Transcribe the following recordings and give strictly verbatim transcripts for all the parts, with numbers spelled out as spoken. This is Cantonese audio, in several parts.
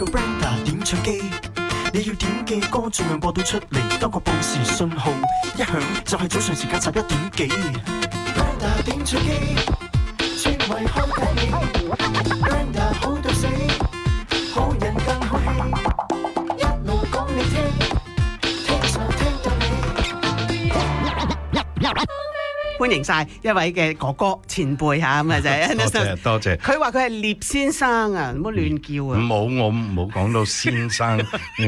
個 Brenda 點唱機，你要點嘅歌盡量播到出嚟，多個報時信號一響就係早上時間十一點幾。Brenda 點唱機，專為開解你。Brenda 好到死，好人更好戲，一路講你聽，聽就聽到你。歡迎晒一位嘅哥哥前輩嚇，咁啊就係多謝多謝。佢話佢係聶先生啊，唔好亂叫啊！冇，我冇講到先生。你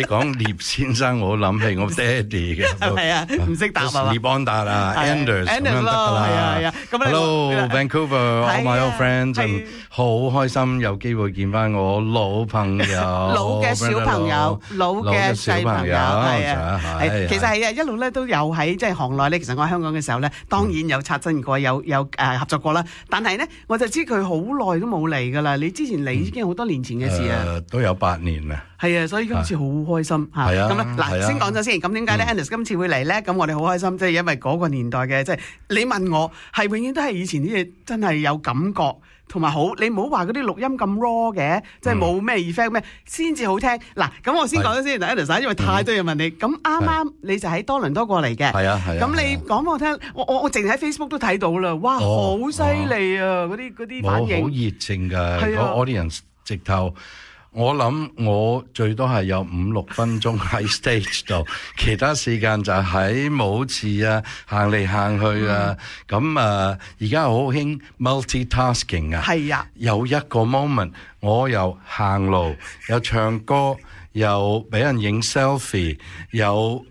講聶先生，我諗起我爹哋嘅。係啊，唔識答啊嘛。聶安達啊 ，Anders 咁樣得㗎啦。係啊係啊。Hello Vancouver，all my old friends，好開心有機會見翻我老朋友。老嘅小朋友，老嘅細朋友，係啊。係其實係啊，一路咧都有喺即係行內咧。其實我喺香港嘅時候咧，當然有擦身過，有有誒合作過啦。但係咧，我就知佢好耐都冇嚟㗎啦。你之前嚟已經好多年前嘅事啊。誒，都有八年啦。係啊，所以今次好開心嚇。係啊。咁啊，嗱，先講咗先。咁點解咧 Anders 今次會嚟咧？咁我哋好開心，即係因為嗰個年代嘅，即係你問我係永遠都係以前啲嘢真係有感覺。同埋好，你唔好話嗰啲錄音咁 raw 嘅，即係冇咩 effect 咩，先至好聽。嗱，咁我先講咗先 ，Anders，因為太多人問你。咁啱啱你就喺多倫多過嚟嘅，係啊係啊。咁你講俾我聽，我我我淨係喺 Facebook 都睇到啦，哇，好犀利啊！嗰啲嗰啲反應，好熱情㗎，個 audience 直頭。我諗我最多係有五六分鐘喺 stage 度，其他時間就喺舞池啊，行嚟行去啊。咁啊，而家好興 multitasking 啊。係啊，有一個 moment， 我又行路，又唱歌，又俾人影 selfie， 又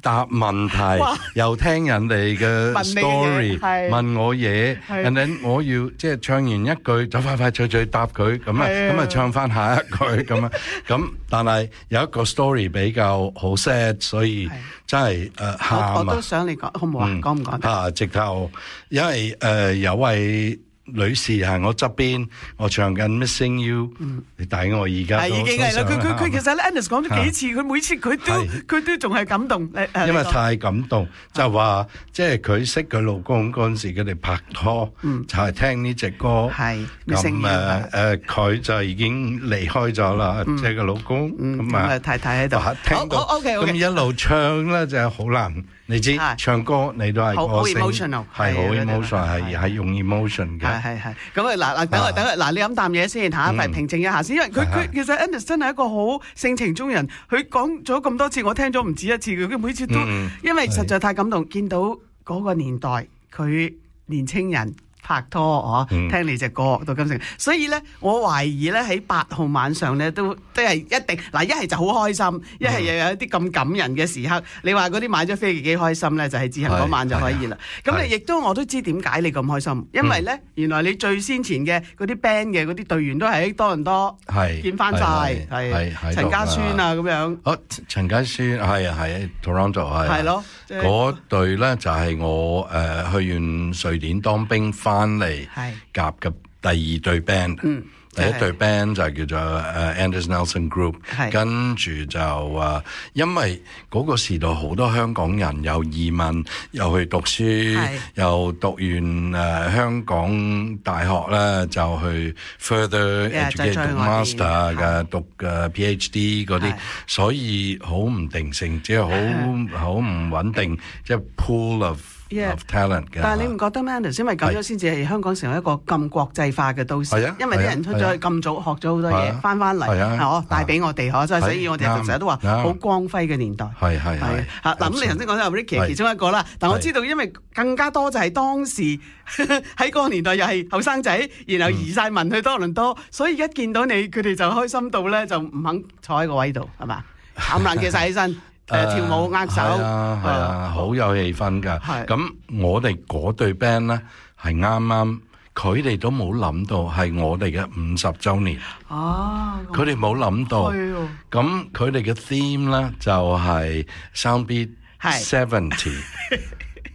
答問題，又聽人哋嘅 story， 問我嘢，and then 我要即係唱完一句就快快脆脆答佢，咁啊咁啊唱翻下一句咁啊，咁但係有一個 story 比較好 sad， 所以真係誒喊啊！我都想你講，好唔好啊？講唔講得？啊，直頭，因為誒有位女士喺我側邊，我唱緊 Missing You， 你睇我而家已經係啦。佢佢佢其實咧 Anders 講咗幾次，佢每次佢都佢都仲係感動。因為太感動，就話即係佢識佢老公嗰陣時，佢哋拍拖，就係聽呢隻歌。係咁誒誒，佢就已經離開咗啦，即係個老公咁啊，太太喺度聽到。咁一路唱咧就係好難。你知唱歌你都係好 emotional， 係好 emotional， 係係用 emotion 嘅。係係係。咁啊嗱嗱，等我等我嗱，你飲啖嘢先嚇，咪平靜一下先。因為佢佢其實 Anders 真係一個好性情中人，佢講咗咁多次，我聽咗唔止一次嘅，佢每次都因為實在太感動，見到嗰個年代佢年青人拍拖哦，聽你隻歌到今成，所以咧我懷疑咧喺八號晚上咧都都係一定嗱，一係就好開心，一係又有一啲咁感人嘅時刻。你話嗰啲買咗飛幾開心咧，就係自行嗰晚就可以啦。咁你亦都我都知點解你咁開心，因為咧原來你最先前嘅嗰啲 band 嘅嗰啲隊員都係喺多倫多見翻晒，係陳家孫啊咁樣。哦，陳家孫係啊係 Toronto 係。係咯，嗰隊咧就係我誒去完瑞典當兵翻翻嚟夾嘅第二隊 band，、嗯、第一隊 band 就叫做、uh, Anders Nelson Group， 跟住就誒、uh, 因為嗰個時代好多香港人又移民又去讀書，又讀完誒、uh, 香港大學咧就去 further education master 嘅讀嘅 PhD 嗰啲，所以好唔定性，即係好好唔穩定，即係 pool of Yeah, of talent 嘅。但係你唔覺得咩 Anders 因為咁樣先至係香港成為一個咁國際化嘅都市，因為啲人出咗去咁早學咗好多嘢，翻翻嚟係帶俾我哋，所以所以我哋成日都話好光輝嘅年代。係係係嚇嗱，咁你頭先講咗 Ricky 其中一個啦，但我知道因為更加多就係當時喺嗰個年代又係後生仔，然後移晒民去多倫多，所以一見到你佢哋就開心到咧，就唔肯坐喺個位度係嘛，冚唪唥企晒起身。誒、呃、跳舞握手，係啊係啊，好有氣氛㗎。咁我哋嗰隊 band 咧係啱啱，佢哋都冇諗到係我哋嘅五十週年。哦，佢哋冇諗到。咁佢哋嘅 theme 咧就係 Soundbeat seventy。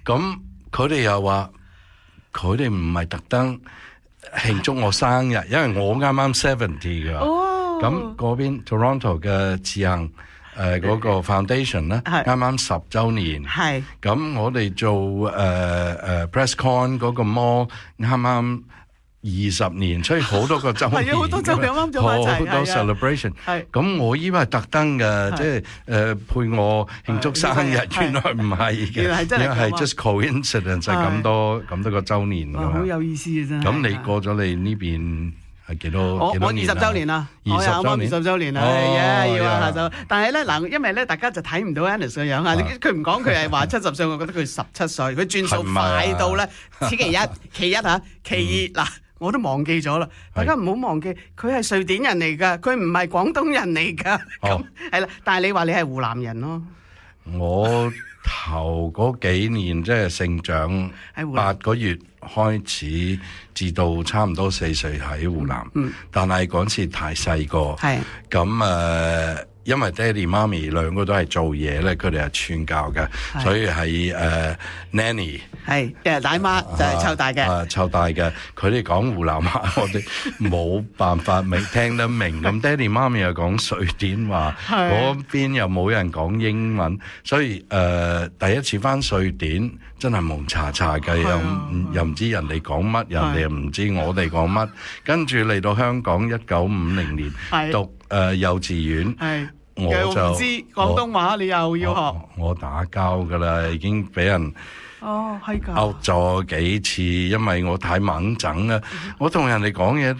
咁佢哋又話，佢哋唔係特登慶祝我生日，因為我啱啱seventy㗎。哦，咁嗰邊 Toronto 嘅自行。誒、呃、嗰、那個 foundation 咧，啱啱十週年，咁我哋做誒誒、呃呃、press con 嗰個 mall 啱啱二十年，所以好多個週年，係啊，好多週年啱咗埋一齊，好多 celebration。係咁我以為係特登嘅，即係誒配我慶祝生日，原來唔係嘅，原來係真係係 just coincidence 係咁多咁多個週年㗎嘛。好有意思啊！真係。咁你過咗你呢邊係幾多？我我二十週年啦，二十週年，二十週年啦，係啊，要啊下晝。但係咧嗱，因為咧大家就睇唔到 Annis 嘅樣啊，佢唔講佢係話七十歲，我覺得佢十七歲，佢轉數快到咧，此其一，其一嚇，其二嗱。我都忘記咗啦，大家唔好忘記，佢係瑞典人嚟㗎，佢唔係廣東人嚟㗎，咁係啦。但係你話你係湖南人咯，我頭嗰幾年即係成長八個月開始，至到差唔多四歲喺湖南，嗯、但係嗰陣時太細個，咁誒。呃因為爹哋媽咪兩個都係做嘢咧，佢哋係傳教嘅，所以係誒 nanny 係誒奶媽就係湊大嘅，啊湊大嘅。佢哋講湖南話，我哋冇辦法明聽得明。咁爹哋媽咪又講瑞典話，嗰邊又冇人講英文，所以誒第一次返瑞典真係蒙查查嘅，又又唔知人哋講乜，人哋又唔知我哋講乜。跟住嚟到香港一九五零年讀誒幼稚園。我就唔知廣東話，你又要學。我，我打交㗎啦，已經俾人哦係㗎，拗咗幾次，因為我太猛整啦。嗯、我同人哋講嘢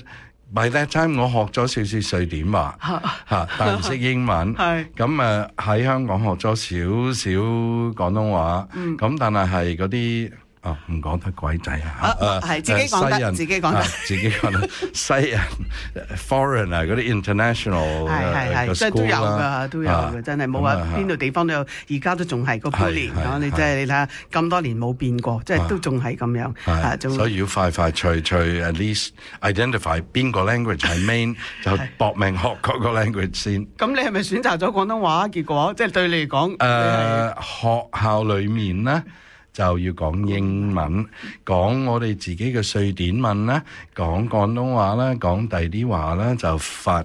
，by that time 我學咗少少瑞典話嚇，但唔識英文。係咁誒喺香港學咗少少廣東話，咁、嗯、但係係嗰啲。哦，唔講得鬼仔啊！啊，係自己講得，自己講得，自己講得。西人 foreign 啊，嗰啲 international 係係係，即係都有㗎，都有嘅，真係冇話邊度地方都有，而家都仲係個 bully 啊！你真係你睇下咁多年冇變過，即係都仲係咁樣啊！所以要快快脆脆 at least identify 邊個 language 係 main 就搏命學嗰個 language 先。咁你係咪選擇咗廣東話？結果即係對你嚟講，誒學校裡面咧。就要講英文，講我哋自己嘅瑞典文啦，講廣東話啦，講第啲話啦，就發。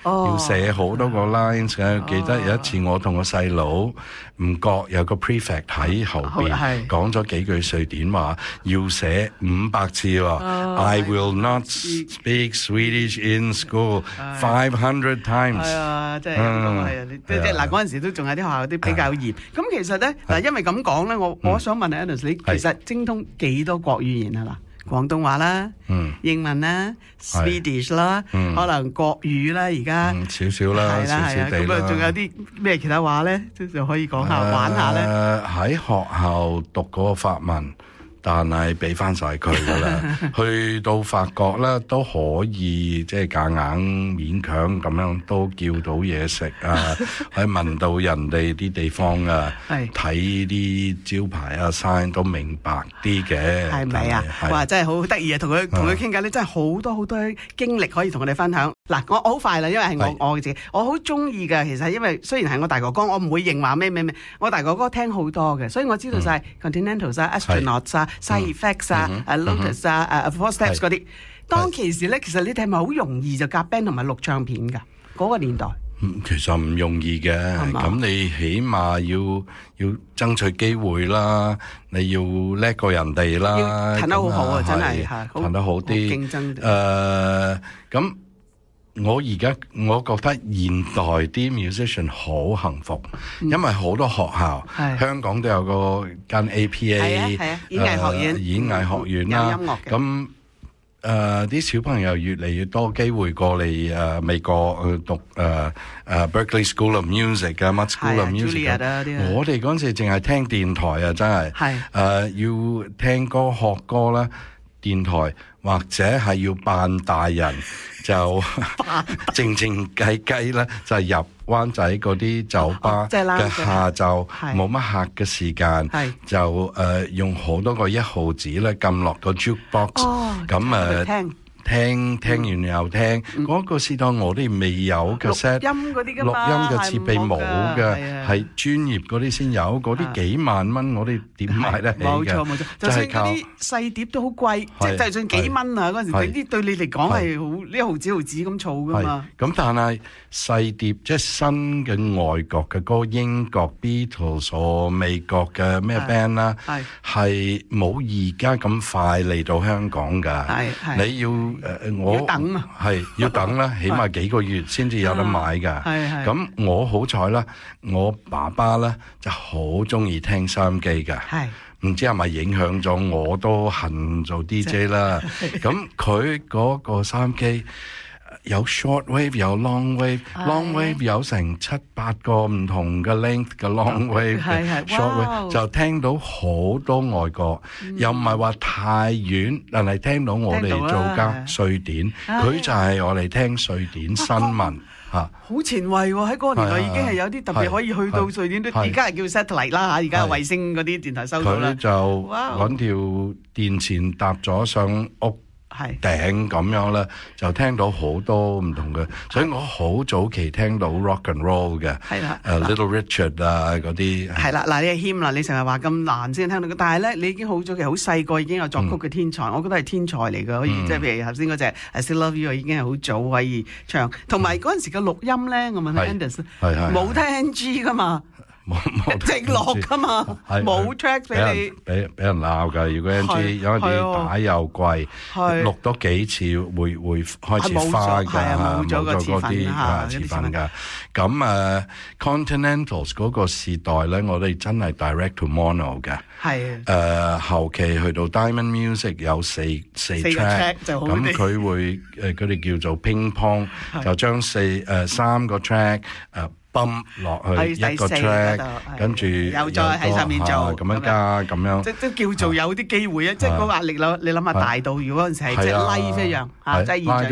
Oh, 要寫好多個 lines 嘅，oh, 記得有一次我同個細佬唔覺有個 prefect 喺後邊講咗幾句瑞典話，要寫五百次喎。Oh, I will not speak Swedish in school five hundred times。係啊，即係咁係啊，即係嗱嗰陣時都仲有啲學校啲比較嚴。咁其實咧嗱，因為咁講咧，我我想問下 Annis，你其實精通幾多國語言啊嗱？廣東話啦，嗯、英文啦 ，Swedish 啦，嗯、可能國語啦，而家、嗯、少少啦，係啦係啊，咁啊仲有啲咩其他話咧，就可以講下、呃、玩下咧。喺學校讀嗰個法文。但係俾翻晒佢噶啦，去到法國咧都可以即係夾硬勉強咁樣都叫到嘢食啊，可以聞到人哋啲地方啊，睇啲招牌啊 sign 都明白啲嘅，係咪啊？哇！真係好得意啊，同佢同佢傾偈咧，真係好多好多經歷可以同我哋分享。嗱，我好快啦，因為係我我自己，我好中意嘅。其實因為雖然係我大哥哥，我唔會認話咩咩咩，我大哥哥聽好多嘅，所以我知道晒 Continentals 啊、Astronauts 啊、Side Effects 啊、Lotus 啊、Four Steps 嗰啲。當其時咧，其實你哋係咪好容易就夾 band 同埋錄唱片㗎？嗰個年代。其實唔容易嘅，咁你起碼要要爭取機會啦，你要叻過人哋啦，彈得好好啊，真係彈得好啲，競爭。誒，咁我而家我覺得現代啲 musician 好幸福，因為好多學校，香港都有個間 A P A， 演藝學院，演藝學院啦，咁。誒啲、uh, 小朋友越嚟越多機會過嚟誒、uh, 美國去讀誒誒、uh, uh, Berkeley School of Music 啊 Much School of Music 啊，我哋嗰陣時淨係聽電台啊，真係係誒要聽歌學歌啦，電台或者係要扮大人就靜靜雞雞啦，就入灣仔嗰啲酒吧嘅下晝冇乜客嘅時間，就誒用好多個一毫子咧撳落個 jukebox，咁誒聽聽完又聽，嗰個時代我哋未有嘅 set 錄音嗰啲㗎嘛，錄音嘅設備冇嘅，係專業嗰啲先有，嗰啲幾萬蚊我哋點買得起嘅？冇錯冇錯，就算嗰啲細碟都好貴，即係就算幾蚊啊嗰陣時，啲對你嚟講係好呢毫子毫子咁儲㗎嘛。咁但係細碟即係新嘅外國嘅歌，英國 Beatles 或美國嘅咩 band 啦，係冇而家咁快嚟到香港㗎。你要誒我等啊，係要等啦，起碼幾個月先至有得買㗎。咁我好彩啦，我爸爸咧就好中意聽收音機㗎。唔知係咪影響咗我都恨做 D J 啦。咁佢嗰個收音機有 short wave 有 long wave，long wave 有成七八個唔同嘅 length 嘅 long wave 嘅 short wave，就聽到好多外國，又唔係話太遠，但係聽到我哋做緊瑞典，佢就係我哋聽瑞典新聞嚇。好前衛喎！喺嗰個年代已經係有啲特別可以去到瑞典，都而家係叫 satellite 啦嚇，而家衛星嗰啲電台收到啦。佢就揾條電線搭咗上屋頂咁樣咧，就聽到好多唔同嘅，所以我好早期聽到 rock and roll 嘅，係啦，誒 Little Richard 啊嗰啲。係啦，嗱你係謙啦，你成日話咁難先聽到嘅，但係咧你已經好早期好細個已經有作曲嘅天才，我覺得係天才嚟嘅，可以即係譬如頭先嗰隻 I Still Love You 已經係好早可以唱，同埋嗰陣時嘅錄音咧，我問下 Anders，冇聽 N G 噶嘛？冇冇直落噶嘛，冇 track 俾你，俾俾人鬧㗎。如果 N G 有啲打又貴，錄多幾次會會開始花㗎，冇咗嗰啲啊詞份㗎。咁誒 Continentals 嗰個時代咧，我哋真係 direct to mono 嘅。係誒後期去到 Diamond Music 有四四 track，咁佢會誒佢哋叫做乒乓，就將四誒三個 track 誒。泵落去一個 track，跟住又再喺上面做咁樣加咁樣，即即叫做有啲機會啊！即個壓力啦，你諗下大到，如果嗰陣時係即 live 一樣嚇，即現場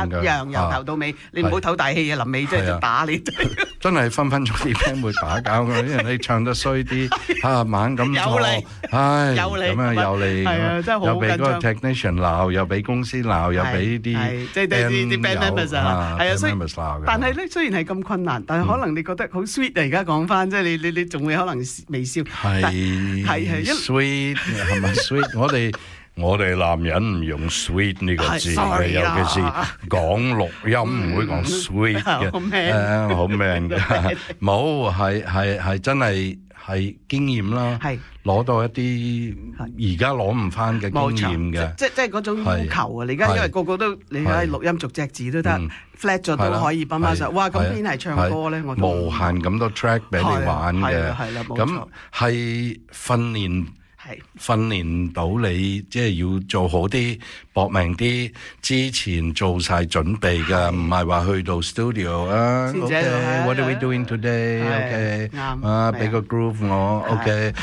一樣由頭到尾，你唔好唞大氣啊！臨尾即係打你，真係分分鐘啲 band 會打交㗎，因為你唱得衰啲啊猛咁錯，唉咁樣又嚟，又俾嗰個 technician 鬧，又俾公司鬧，又俾啲即係啲 band members 啊，係啊，所以但係咧雖然係咁困難，但係可能。你覺得好 sweet 啊！而家講翻，即係你你你仲會可能微笑，係係係 sweet 係咪 sweet？我哋我哋男人唔用 sweet 呢個字嘅，尤其是講錄音唔會講 sweet 嘅，誒好 man 嘅，冇係係係真係係經驗啦，攞到一啲而家攞唔翻嘅經驗嘅，即即係嗰種要求啊！你而家因為個個都你喺錄音逐隻字都得。flat 咗都可以泵翻上，哇！咁邊係唱歌咧？我無限咁多 track 俾你玩嘅，咁係訓練，訓練到你即係要做好啲，搏命啲，之前做晒準備㗎，唔係話去到 studio 啊 ，OK，what are we doing today？OK，啊，俾個 groove 我 ，OK，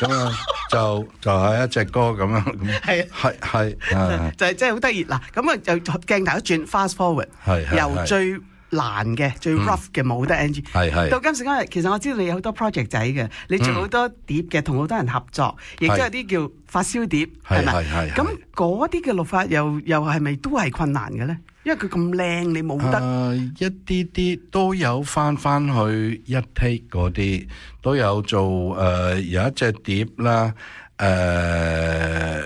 咁啊。就就係一隻歌咁樣，係係係，就係真係好得意嗱。咁啊，就鏡頭一轉 ，fast forward，由最難嘅、最 rough 嘅冇得 N G，到今時今日，其實我知道你有好多 project 仔嘅，你做好多碟嘅，同好多人合作，亦都有啲叫發燒碟，係咪？咁嗰啲嘅錄法又又係咪都係困難嘅咧？因為佢咁靚，你冇得。誒一啲啲都有翻翻去一 take 嗰啲，都有做誒有一隻碟啦，誒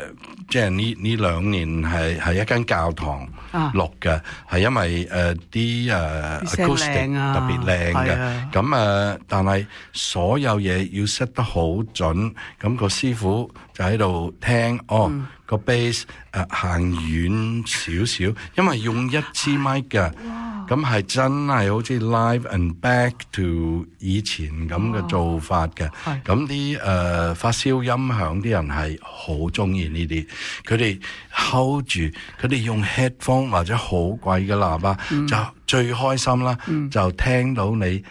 即係呢呢兩年係係一間教堂錄嘅，係因為誒啲誒 acoustic 特別靚嘅，咁誒但係所有嘢要 set 得好準，咁個師傅就喺度聽哦。個 bass 誒行遠少少，因為用一支咪嘅，咁係真係好似 live and back to 以前咁嘅做法嘅。咁啲誒發燒音響啲人係好中意呢啲，佢哋 hold 住，佢哋用 headphone 或者好貴嘅喇叭，嗯、就最開心啦，嗯、就聽到你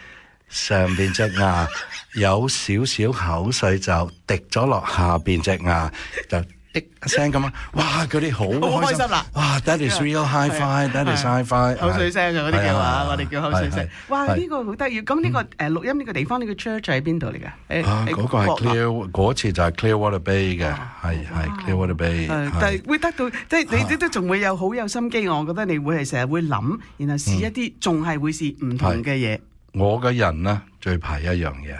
上邊隻牙有少少口水就滴咗落下邊隻牙就。滴一聲咁啊！哇，嗰啲好開心啦！哇 ，that is real hi-fi，that is hi-fi，口水聲啊嗰啲叫啊，我哋叫口水聲。哇，呢個好得意！咁呢個誒錄音呢個地方呢個 church 喺邊度嚟㗎？啊，嗰個係 Clear，嗰次就係 Clearwater Bay 嘅，係係 Clearwater Bay。但係會得到，即係你都仲會有好有心機。我覺得你會係成日會諗，然後試一啲仲係會試唔同嘅嘢。我嘅人咧最怕一樣嘢，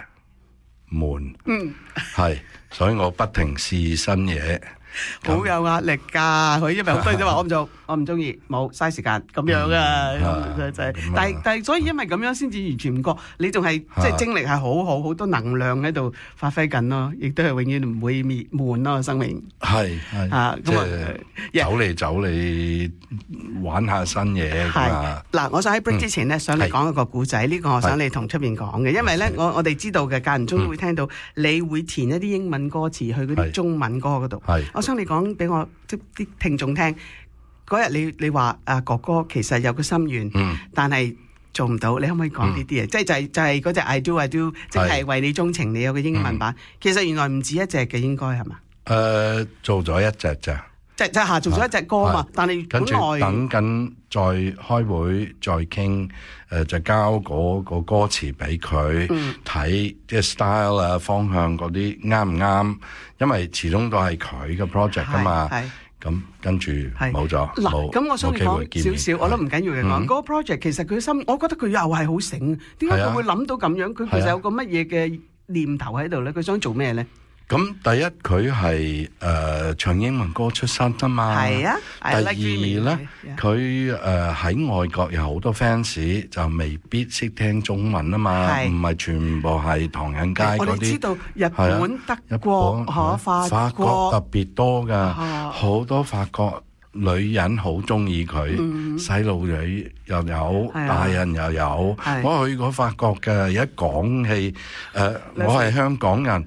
悶。嗯，係，所以我不停試新嘢。好有壓力㗎，佢因為好多人都話我唔做，我唔中意，冇嘥時間咁樣啊，就就係。但係但係，所以因為咁樣先至完全唔覺，你仲係即係精力係好好，好多能量喺度發揮緊咯，亦都係永遠唔會滅悶咯，生命。係係啊，即係走嚟走嚟玩下新嘢㗎嘛。嗱，我想喺 break 之前咧，想你講一個故仔，呢個我想你同出邊講嘅，因為咧我我哋知道嘅間唔中都會聽到你會填一啲英文歌詞去嗰啲中文歌嗰度。我想你講俾我即啲聽眾聽，嗰日你你話啊哥哥其實有個心願，嗯、但係做唔到，你可唔可以講呢啲嘢？即係就係就係嗰隻 I do I do， 即係為你鍾情，你有個英文版。嗯、其實原來唔止一隻嘅，應該係嘛？誒、呃，做咗一隻咋？即即下做咗一隻歌嘛，但係跟住等緊再開會再傾，誒、呃、就交嗰個歌詞俾佢睇，即係 style 啊方向嗰啲啱唔啱？因為始終都係佢嘅 project 噶嘛，咁跟住冇咗。嗱，咁我想你講少少，我都唔緊要嘅講。嗰個 project 其實佢心，我覺得佢又係好醒，點解佢會諗到咁樣？佢其實有個乜嘢嘅念頭喺度咧？佢想做咩咧？咁第一佢係誒唱英文歌出身啊嘛，係啊。第二咧，佢誒喺外國有好多 fans，就未必識聽中文啊嘛，唔係全部係唐人街嗰啲。我哋知道日本、德國、嚇法國特別多㗎，好多法國女人好中意佢，細路女又有，大人又有。我去過法國嘅，一講起誒，我係香港人。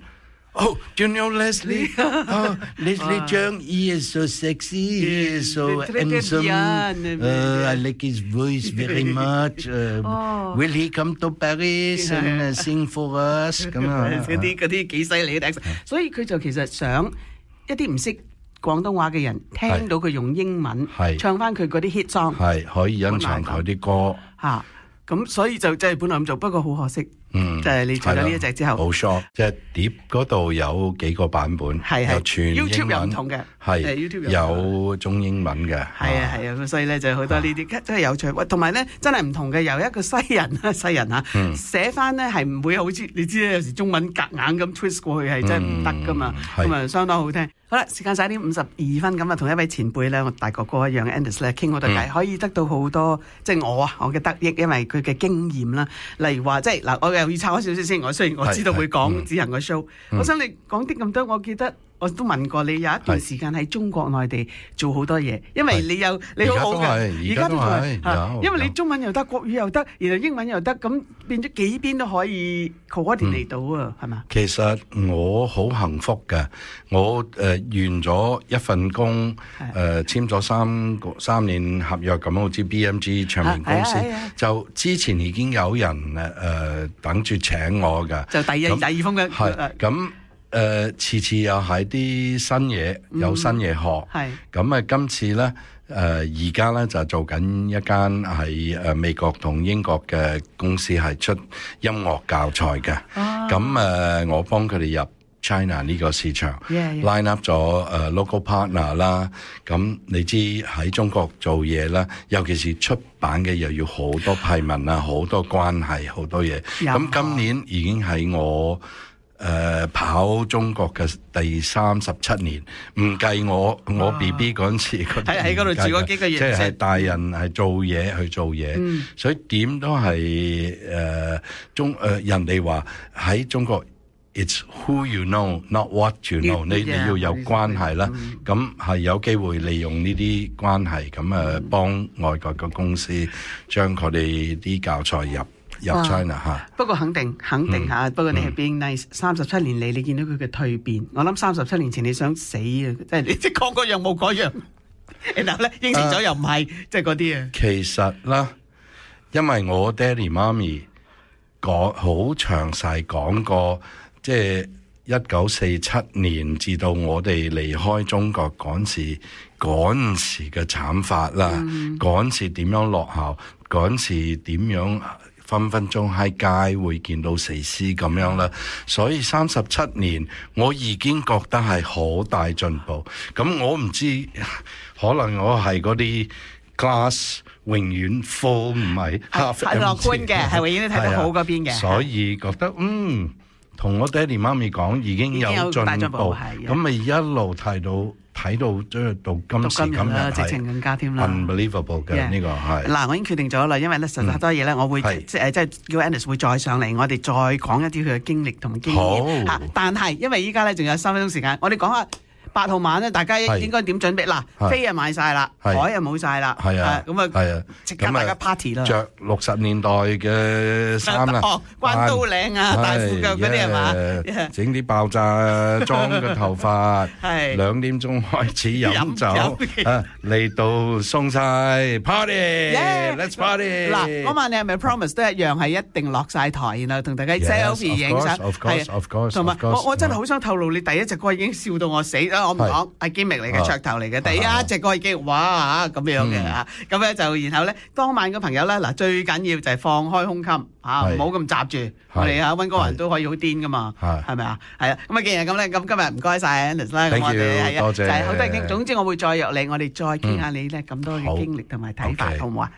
Oh, do you know Leslie? Oh, Leslie Cheung, he is so sexy, he is so handsome. Uh, I like his voice very much. Uh, oh. Will he come to Paris and uh, sing for us? 咁啊，嗰啲嗰啲幾犀利嘅，所以佢就其實想一啲唔識廣東話嘅人聽到佢用英文唱翻佢嗰啲 hit song，係可以欣賞佢啲歌嚇。咁所以就即係本來咁做，不過好可惜。嗯，就係你做咗呢一隻之後，冇錯，即係碟嗰度有幾個版本，係有全英文 YouTube 又唔同嘅，係 YouTube 有中英文嘅，係啊係啊，所以咧就好多呢啲真係有趣。喂，同埋咧真係唔同嘅，由一個西人啊西人嚇寫翻咧係唔會好似你知咧，有時中文夾硬咁 twist 過去係真係唔得噶嘛，咁啊相當好聽。好啦，時間晒啲五十二分咁啊，同一位前輩咧，我大哥哥一樣 Angus 咧傾好多偈，可以得到好多即係我啊我嘅得益，因為佢嘅經驗啦，例如話即係嗱，我又要插開少少先。我雖然我知道會講子恒個 show，我想你講啲咁多，我記得我都問過你有一段時間喺中國內地做好多嘢，因為你有你好好嘅，而家都係，因為你中文又得，國語又得，然後英文又得，咁變咗幾邊都可以 coordinate 到啊，係嘛？其實我好幸福嘅，我誒完咗一份工，誒簽咗三個三年合約咁，好似 B M G 唱片公司，就之前已經有人誒誒等住請我嘅，就第二第二封嘅係咁。誒、呃，次次又係啲新嘢，有新嘢學。係咁啊！今次咧，誒而家咧就做緊一間係誒美國同英國嘅公司，係出音樂教材嘅。咁誒、呃，我幫佢哋入 China 呢個市場 yeah, yeah. ，line up 咗誒、uh, local partner 啦。咁你知喺中國做嘢啦，尤其是出版嘅又要好多批文啊，好多關係，好多嘢。咁今年已經喺我。誒、呃、跑中國嘅第三十七年，唔計我我 B B 嗰陣時，喺喺嗰度住嗰幾個月，即係大人係做嘢去做嘢，嗯、所以點都係誒、呃、中誒、呃、人哋話喺中國 ，it's who you know, not what you know 你。你你要有關係啦，咁係、嗯、有機會利用呢啲關係，咁誒幫外國嘅公司將佢哋啲教材入。入 China 嚇，不過肯定肯定嚇，嗯、不過你係 being nice。三十七年嚟，你見到佢嘅蛻變，我諗三十七年前你想死啊！即係你即係講嗰樣冇嗰樣，然後咧應承咗又唔係，即係嗰啲啊。其實啦，因為我爹哋媽咪講好詳細講過，即係一九四七年至到我哋離開中國嗰時，嗰時嘅慘法啦，嗰時點樣落後，嗰時點樣分分鐘喺街會見到死屍咁樣啦。所以三十七年，我已經覺得係好大進步。咁我唔知，可能我係嗰啲 glass 永遠 full 唔係 half empty，係樂觀嘅，係永遠都睇到好嗰邊嘅。所以覺得嗯。同我爹哋媽咪講已經有進步，咁咪一路睇到睇到即係到今時今日，直情更加添啦 ，unbelievable 嘅呢個係。嗱，我已經決定咗啦，因為咧實在好多嘢咧，我會即係即係叫 Annis 會再上嚟，我哋再講一啲佢嘅經歷同埋經驗嚇。但係因為依家咧仲有三分鐘時間，我哋講下八號晚咧，大家應該點準備？嗱，飛又買晒啦，海又冇晒啦，係啊，咁啊，即刻大家 party 啦，着六十年代嘅衫啦，關刀領啊，大褲腳嗰啲係嘛？整啲爆炸裝嘅頭髮，兩點鐘開始飲酒，啊嚟到送晒 party，let's party。嗱，嗰晚你係咪 promise 都一樣係一定落晒台，然後同大家 selfie 影相？係，同埋我我真係好想透露，你第一隻歌已經笑到我死啦！我唔講係 gimmick 嚟嘅噱頭嚟嘅，第一隻歌已經哇咁樣嘅嚇，咁咧就然後咧當晚嘅朋友咧嗱最緊要就係放開胸襟嚇，唔好咁閘住，我哋啊溫哥華人都可以好癲噶嘛，係咪啊？係啊，咁啊既然咁咧，咁今日唔該晒 Annis 啦，咁我哋係啊，就係好多傾，總之我會再約你，我哋再傾下你咧咁多嘅經歷同埋睇法，好唔好啊？